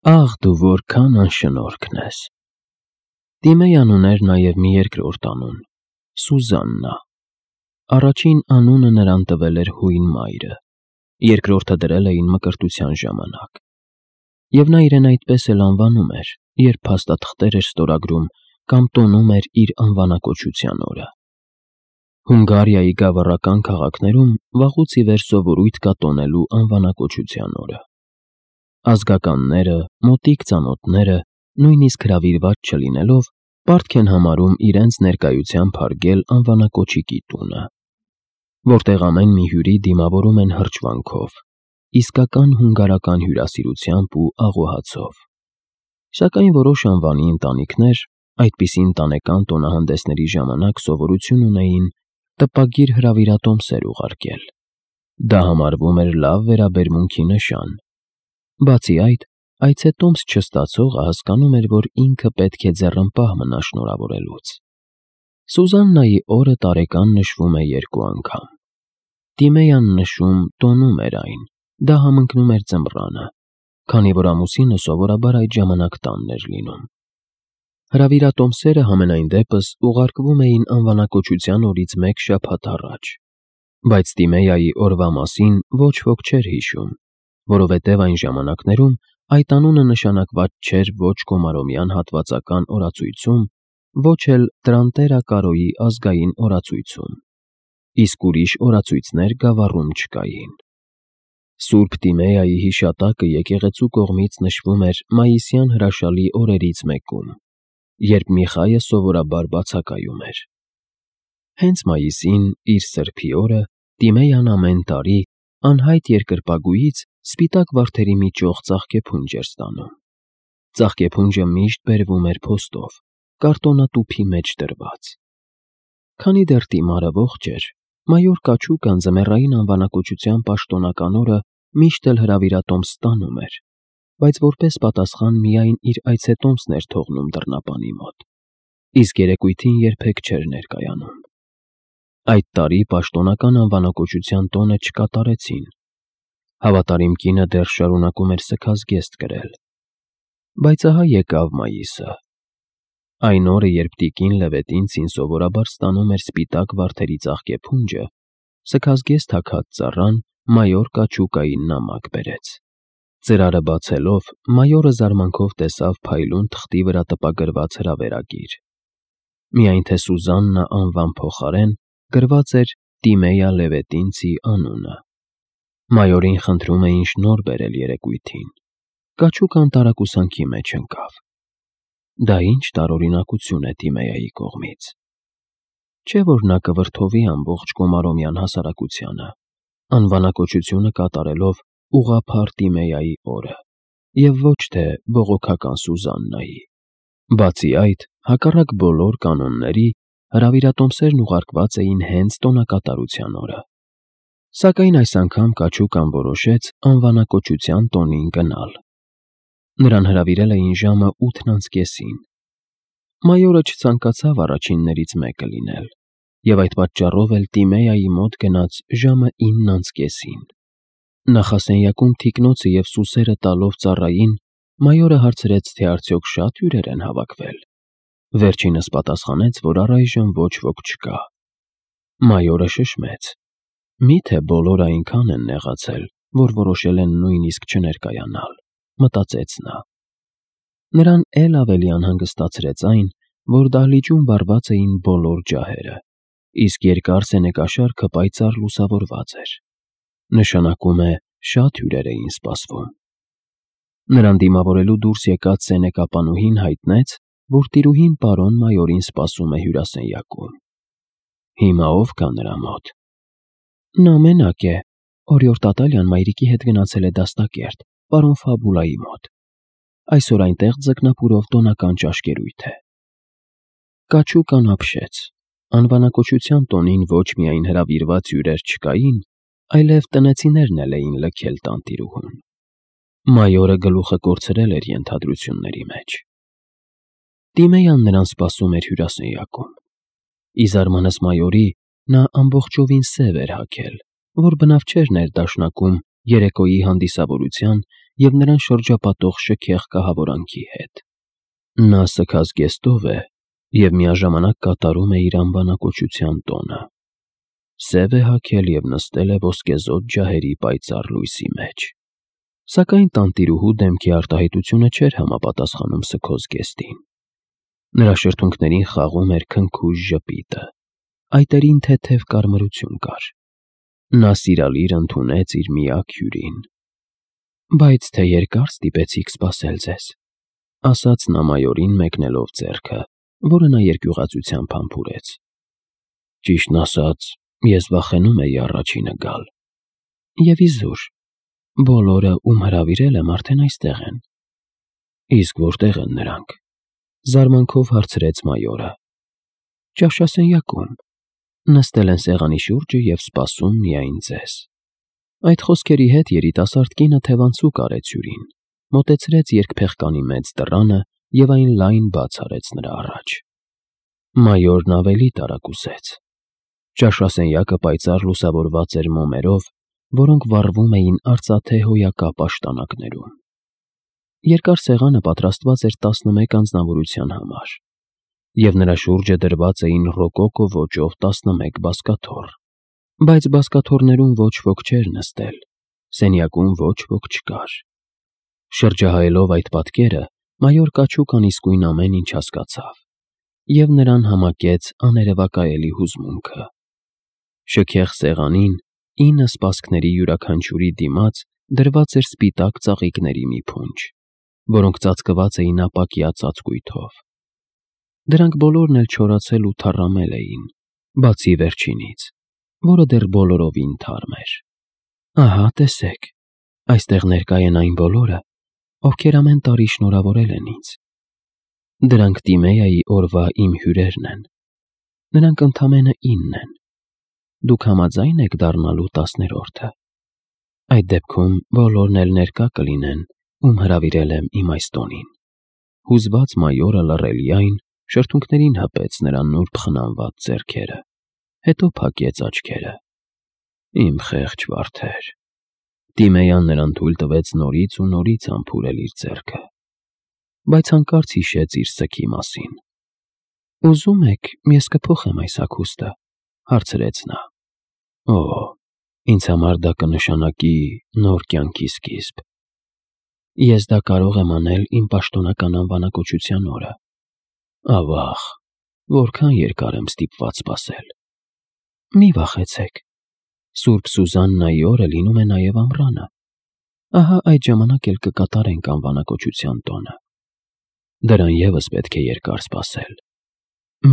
Աղ դու որքան անշնորհքն ես։ Տիմեյան ուներ նաև մի երկրորդ անուն՝ Սուզաննա։ Առաջին անունը նրան տվել էր հույն մայրը, երկրորդը դրել էին մկրտության ժամանակ։ Եվ նա իրեն այդպես էլ անվանում էր, երբ փաստաթղթեր էր ստորագրում կամ տոնում էր իր անվանակոչության օրը։ Հունգարիայի գավառական քաղաքներում վաղուց ի վեր սովորույթ կա տոնելու անվանակոչության օրը։ Ազգականները, մոտիկ ծանոթները, նույնիսկ հրավիրված չլինելով, պարտք են համարում իրենց ներկայությամբ հարգել անվանակոչիկի տունը, որտեղ ամեն մի հյուրի դիմավորում են հրճվանքով, իսկական հունգարական հյուրասիրությամբ ու աղոհացով։ Սակայն որոշ անվանի ընտանիքներ այդպիսի ընտանեկան տոնահանդեսների ժամանակ սովորություն ունեին տպագիր հրավիրատոմսեր ուղարկել։ Դա համարվում էր լավ վերաբերմունքի նշան։ Բացի այդ, այցետոմս չստացողը հասկանում էր, որ ինքը պետք է ձեռնպահ մնա շնորհավորելուց։ Սուզաննայի օրը տարեկան նշվում է 2 անգամ։ Տիմեյան նշում տոնում էր այն, դա համընկնում էր ձմռանը, քանի որ ամուսինը սովորաբար այդ ժամանակ տանն էր լինում։ Հրավիրատոմսերը համենայն դեպս ուղարկվում էին անվանակոչության օրից 1 շաբաթ առաջ, բայց Տիմեյայի օրվա մասին ոչ ոք չէր հիշում, որովհետև այն ժամանակներում այդ անունը նշանակված չէր ոչ Կոմարոմյան հատվածական օրացույցում, ոչ էլ Տրանտերա Կարոյի ազգային օրացույցում, իսկ ուրիշ օրացույցներ գավառում չկային։ Սուրբ Տիմեյայի հիշատակը եկեղեցու կողմից նշվում էր մայիսյան հրաշալի օրերից մեկում, երբ Միխայը սովորաբար բացակայում էր։ Հենց մայիսին, իր սրբի օրը, Տիմեյան ամեն տարի անհայտ երկրպագուից սպիտակ վարդերի մի ճոխ ծաղկեփունջ էր ստանում։ Ծաղկեփունջը միշտ բերվում էր փոստով, կարտոնատուփի մեջ դրված։ Քանի դեռ Տիմարը ողջ էր, մայոր Կաչուկան ձմեռային անվանակոչության պաշտոնական օրը միշտ էլ հրավիրատոմս ստանում էր, բայց որպես պատասխան միայն իր այցետոմսն էր թողնում դռնապանի մոտ, իսկ երեկույթին երբեք չէր ներկայանում։ Այդ տարի պաշտոնական անվանակոչության տոնը չկատարեցին։ Հավատարիմ կինը դեռ շարունակում էր սգազգեստ կրել։ Բայց ահա եկավ մայիսը։ Այն օրը, երբ տիկին Լևետինցին սովորաբար ստանում էր սպիտակ վարդերի ծաղկեփունջը, սգազգեստ հագած ծառան մայոր Կաչուկային նամակ բերեց։ Ծրարը բացելով, մայորը զարմանքով տեսավ փայլուն թղթի վրա տպագրված հրավերագիր։ Միայն թե Սուզաննա անվան փոխարեն գրված էր Տիմեյա Լևետինցի անունը։ Մայորին խնդրում էին շնորհ բերել երեկույթին։ Կաչուկան տարակուսանքի մեջ ընկավ։ Դա ինչ տարօրինակություն է Տիմեյայի կողմից։ Չէ՞ որ նա կվրդովի ամբողջ Կոմարոմյան հասարակությանը, անվանակոչությունը կատարելով ուղղափառ Տիմեյայի օրը, և ոչ թե բողոքական Սուզաննայի։ Բացի այդ, հակառակ բոլոր կանոնների, հրավիրատոմսերն ուղարկված էին հենց տոնակատարության օրը։ Սակայն այս անգամ Կաչուկան որոշեց անվանակոչության տոնին գնալ։ Նրան հրավիրել էին ժամը 8:30։ Մայորը չցանկացավ առաջիններից մեկը լինել, և այդ պատճառով էլ Տիմեյայի մոտ գնաց ժամը 9:30։ Նախասենյակում թիկնոցը և սուսերը տալով ծառային, մայորը հարցրեց, թե արդյոք շատ հյուրեր են հավաքվել։ Վերջինս պատասխանեց, որ առայժմ ոչ ոք չկա։ Մայորը շշմեց. «Միթե բոլորը այնքան են նեղացել, որ որոշել են նույնիսկ չներկայանալ», մտածեց նա։ Նրան էլ ավելի անհանգստացրեց այն, որ դահլիճում վառված էին բոլոր ջահերը, իսկ երկար սենեկաշարքը պայծառ լուսավորված էր։ Նշանակում է, շատ հյուրեր էին սպասվում։ Նրան դիմավորելու դուրս եկած սենեկապանուհին հայտնեց, որ տիրուհին պարոն մայորին սպասում է հյուրասենյակում։ Հիմա ով կա նրա մոտ։ Նա մենակ է, օրիորդ Ատալյան մայրիկի հետ գնացել է դաստակերտ, պարոն Ֆաբուլայի մոտ։ Այսօր այնտեղ ձկնապուրով տոնական ճաշկերույթ է։ Կաչուկան ապշեց։ Անվանակոչության տոնին ոչ միայն հրավիրված հյուրեր չկային, այլև տնեցիներն էլ էին լքել տանտիրուհուն։ Մայորը գլուխը կորցրել էր ենթադրությունների մեջ։ Տիմեյան նրան սպասում էր հյուրասենյակում։ Ի զարմանս մայորի, նա ամբողջովին սև էր հագել, որ բնավ չէր ներդաշնակում երեկոյի հանդիսավորության և նրան շրջապատող շքեղ կահավորանքի հետ։ Նա սգած գեստով է և միաժամանակ կատարում է իր անվանակոչության տոնը։ Սև է հագել և նստել է ոսկեզօծ ջահերի պայծառ լույսի մեջ։ Սակայն տանտիրուհու դեմքի արտահայտությունը չէր համապատասխանում սգոզ գեստին։ Նրա շրթունքներին խաղում էր քնքուշ ժպիտը, այտերին թեթև կարմրություն կար։ Նա սիրալիր ընդունեց իր միակ հյուրին։ «Բայց թե երկար ստիպեցիք սպասել ձեզ», ֊ ասաց նա մայորին մեկնելով ձեռքը, որը նա երկյուղածությամբ համբուրեց։ «Ճիշտն ասած, ես վախենում էի առաջինը գալ»։ «Եվ իզուր, բոլորը, ում հրավիրել եմ, արդեն այստեղ են»։ «Իսկ որտե՞ղ են նրանք», ֊ զարմանքով հարցրեց մայորը։ «Ճաշասենյակում, նստել են սեղանի շուրջը և սպասում միայն ձեզ»։ Այդ խոսքերի հետ երիտասարդ կինը թևանցուկ արեց հյուրին, մոտեցրեց երկփեղկանի մեծ դռանը և այն լայն բաց արեց նրա առաջ։ Մայորն ավելի տարակուսեց։ Ճաշասենյակը պայծառ լուսավորված էր մոմերով, որոնք վառվում էին արծաթե հոյակապ աշտանակներում։ Երկար սեղանը պատրաստված էր 11 անձնավորության համար, և նրա շուրջը դրված էին ռոկոկո ոճով 11 բազկաթոռ։ Բայց բազկաթոռներում ոչ ոք չէր նստել, սենյակում ոչ ոք չկար։ Շրջահայելով այդ պատկերը, մայոր Կաչուկան իսկույն ամեն ինչ հասկացավ, և նրան համակեց աներևակայելի հուզմունքը։ Շքեղ սեղանին, 9 սպասքների յուրաքանչյուրի դիմաց դրված էր սպիտակ ծաղիկների մի փունջ, որոնք ծածկված էին ապակյա ծածկույթով։ Դրանք բոլորն էլ չորացել ու թառամել էին, բացի վերջինից, որը դեռ բոլորովին թարմ էր։ «Ահա, տեսեք, այստեղ ներկա են այն բոլորը, ովքեր ամեն տարի շնորհավորել են ինձ։ Դրանք Տիմեայի օրվա իմ հյուրերն են։ Նրանք ընդամենը 9 են։ Դուք համաձա՞յն եք դառնալու 10-րդը։ Այդ դեպքում բոլորն էլ ներկա կլինեն, ում հրավիրել եմ իմ այս տոնին»։ Հուզված մայորը լռելիայն շրթունքներին հպեց նրա նուրբ խնամված ձեռքերը, հետո փակեց աչքերը։ «Իմ խեղճ վարդեր»։ Տիմեյան նրան թույլ տվեց նորից ու նորից համբուրել իր ձեռքը, բայց հանկարծ հիշեց իր սգի մասին։ «Ուզում եք, ես կփոխեմ այս հագուստը», ֊ հարցրեց նա։ «Օ, ինձ համար դա կնշանակի նոր կյանքի սկիզբ։ Ես դա կարող եմ անել իմ պաշտոնական անվանակոչության օրը։ Ավաղ, որքան երկար եմ ստիպված սպասել»։ «Մի վախեցեք, Սուրբ Սուզաննայի օրը լինում է նաև ամռանը։ Ահա այդ ժամանակ էլ կկատարենք անվանակոչության տոնը։ Դրան ևս պետք է երկար սպասել։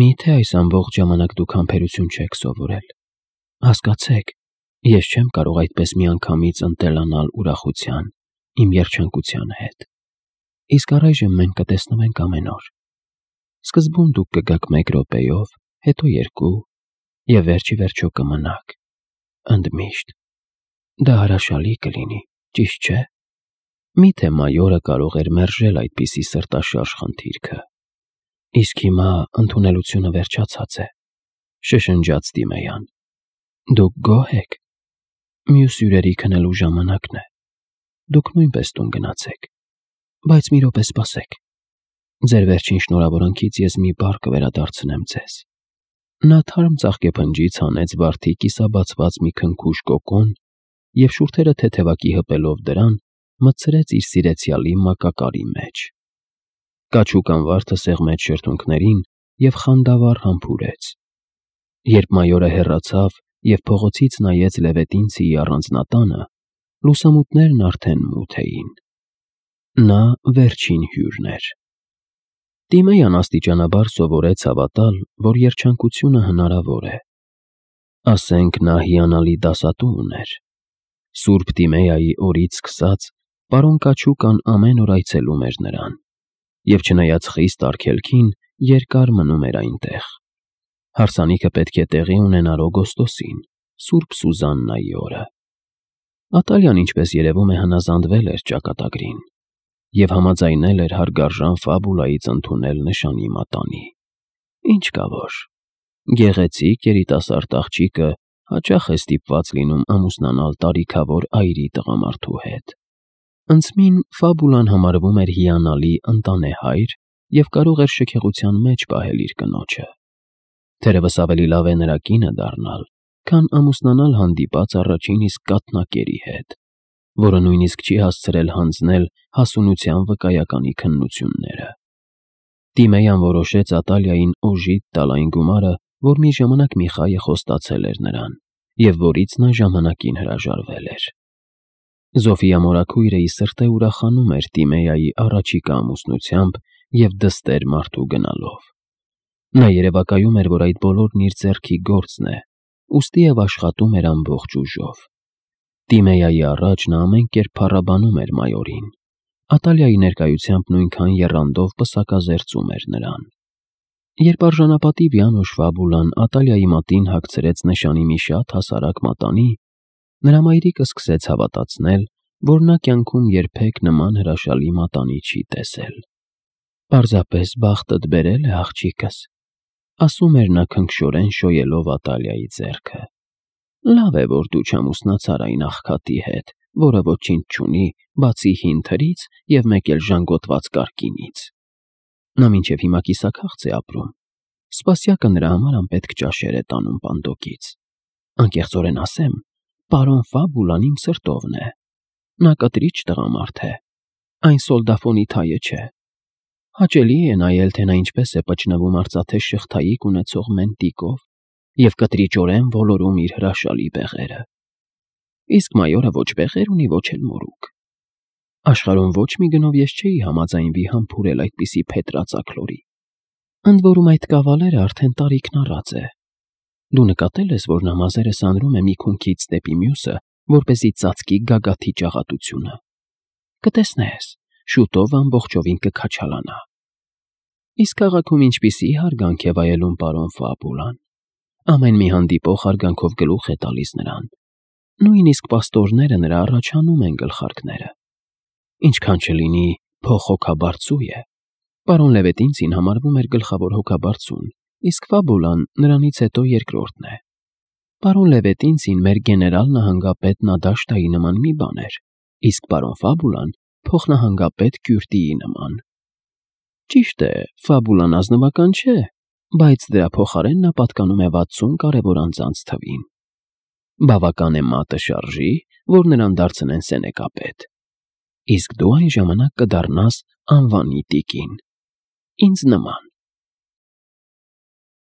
Մի՞թե այս ամբողջ ժամանակ դուք համբերություն չեք սովորել։ Հասկացեք, ես չեմ կարող այդպես միանգամից ընտելանալ ուրախության, իմ երջանկության հետ։ Իսկ առայժմ մենք կտեսնվենք ամեն օր։ Սկզբում դուք կգաք 1 րոպեով, հետո 2, և վերջ ի վերջո կմնաք։ Ընդմիշտ։ Դա հրաշալի կլինի, ճիշտ չէ՞։ Մի՞թե մայորը կարող էր մերժել այդպիսի սրտաշարժ խնդիրքը։ «Իսկ հիմա ընդունելությունը վերջացած է», ֊ շշնջաց Տիմեյան։ «Դուք գոհ եք։ Մյուս հյուրերի քնելու ժամանակն է։ Դուք նույնպես տուն գնացեք։ Բայց մի րոպե սպասեք։ Ձեր վերջին շնորհավորանքից ես մի բառ կվերադարձնեմ ձեզ»։ Նա թարմ ծաղկեփնջից հանեց վարդի կիսաբացված մի քնքուշ կոկոն և շուրթերը թեթևակի հպելով դրան, մտցրեց իր սիրեցյալի մակակարի մեջ։ Կաչուկան վարդը սեղմեց շրթունքներին և խանդավառ համբուրեց։ Երբ մայորը հեռացավ և փողոցից նայեց Լևետինցիի առանձնատանը, լուսամուտներն արդեն մութ էին։ Նա վերջին հյուրն էր։ Տիմեյան աստիճանաբար սովորեց հավատալ, որ երջանկությունը հնարավոր է։ Ասենք նա հիանալի դասատու ուներ։ Սուրբ Տիմեայի օրից սկսած պարոն Կաչուկան ամեն օր այցելում էր նրան, և չնայած խիստ արգելքին, երկար մնում էր այնտեղ։ Հարսանիքը պետք է տեղի ունենար օգոստոսին, Սուրբ Սուզաննայի օրը։ Ատալյան, ինչպես երևում է, հնազանդվել էր ճակատագրին և համաձայնել էր հարգարժան Ֆաբուլայից ընդունել նշանի մատանի։ Ինչ կա որ, գեղեցիկ երիտասարդ աղջիկը հաճախ է ստիպված լինում ամուսնանալ տարիքավոր այրի տղամարդու հետ։ Ընծմին Ֆաբուլան համարվում էր հիանալի ընտանեհայր և կարող էր շքեղության մեջ պահել իր կնոջը։ Թերևս ավելի լավ է նրա կինը դառնալ, քան ամուսնանալ հանդիպած առաջին իսկ կաթնակերի հետ, որը նույնիսկ չի հասցրել հանձնել հասունության վկայականի քննությունները։ Տիմեյան որոշեց Ատալիային օժիտ տալ այն գումարը, որ մի ժամանակ Միխայը խոստացել էր նրան, և որից նա ժամանակին հրաժարվել էր։ Զոֆիա մորաքույրը ի սրտե ուրախանում էր Տիմեյայի առաջիկա ամուսնությամբ և դստեր մարդու գնալով։ Նա երևակայում էր, որ այդ բոլորն իր ձեռքի գործն է, ուստի և աշխատում էր ամբողջ ուժով։ Տիմեյայի առաջ նա ամեն կերպ փառաբանում էր մայորին։ Ատալիայի ներկայությամբ նույնքան եռանդով պսակազերծում էր նրան։ Երբ արժանապատիվ Յանուշ Ֆաբուլան Ատալիայի մատին հագցրեց նշանի մի շատ հասարակ մատանի, նրա մայրիկը սկսեց հավատացնել, որ նա կյանքում երբեք նման հրաշալի մատանի չի տեսել։ «Պարզապես բախտդ բերել է, աղջիկս», ասում էր նա քնքշորեն շոյելով Ատալիայի ձեռքը։ «Լավ է, որ դու չամուսնացար այն աղքատի հետ, որը ոչինչ չունի, բացի հին թրից և մեկ էլ ժանգոտված կարկինից։ Նա մինչև հիմա կիսաքաղց է ապրում։ Սպասյակը նրա համար անպետք ճաշեր է տանում պանդոկից։ Անկեղծորեն ասեմ, պարոն Ֆաբուլան իմ սրտովն է։ Նա կտրիչ տղամարդ է, այն սոլդաֆոնի թայը չէ։ Հաճելի է նայել, թե նա ինչպես է պճնվում արծաթե շղթայիկ ունեցող մենտիկով և կտրիճորեն ոլորում իր հրաշալի բեղերը։ Իսկ մայորը ոչ բեղեր ունի, ոչ էլ մորուք։ Աշխարհում ոչ մի գնով ես չէի համաձայնվի համբուրել այդպիսի փետրածագլորի։ Ընդ որում այդ կավալերը արդեն տարիքն առած է։ Դու նկատել ես, որ նա մազերս անրում է մի քունքից դեպի մյուսը, որպեսզի ծածկի գագաթի ճաղատությունը։ Կտեսնես, շուտով ամբողջովին կքաչալանա։ Իսկ քաղաքում ինչպիսի հարգանք է վայելում պարոն Ֆաբուլան։ Ամեն մի հանդիպող հարգանքով գլուխ է տալիս նրան։ Նույնիսկ պաստորները նրա առաջանում են գլխարկները։ Ինչքան չլինի փոխհոգաբարձու է։ Պարոն Լևետինցին համարվում էր գլխավոր հոգաբարձուն, իսկ Ֆաբուլան նրանից հետո երկրորդն է։ Պարոն Լևետինցին մեր գեներալ նահանգապետ Նադաշտայի նման մի բան էր, իսկ պարոն Ֆաբուլան փոխնահանգապետ Կյուրտիի նման։ Ճիշտ է, Ֆաբուլան ազնվական չէ, բայց դրա փոխարեն նա պատկանում է 60 կարևոր անձանց թվին։ Բավական է մատը շարժի, որ նրան դարձնեն սենեկապետ։ Իսկ դու այն ժամանակ կդառնաս անվանի տիկին։ Ինձ նման։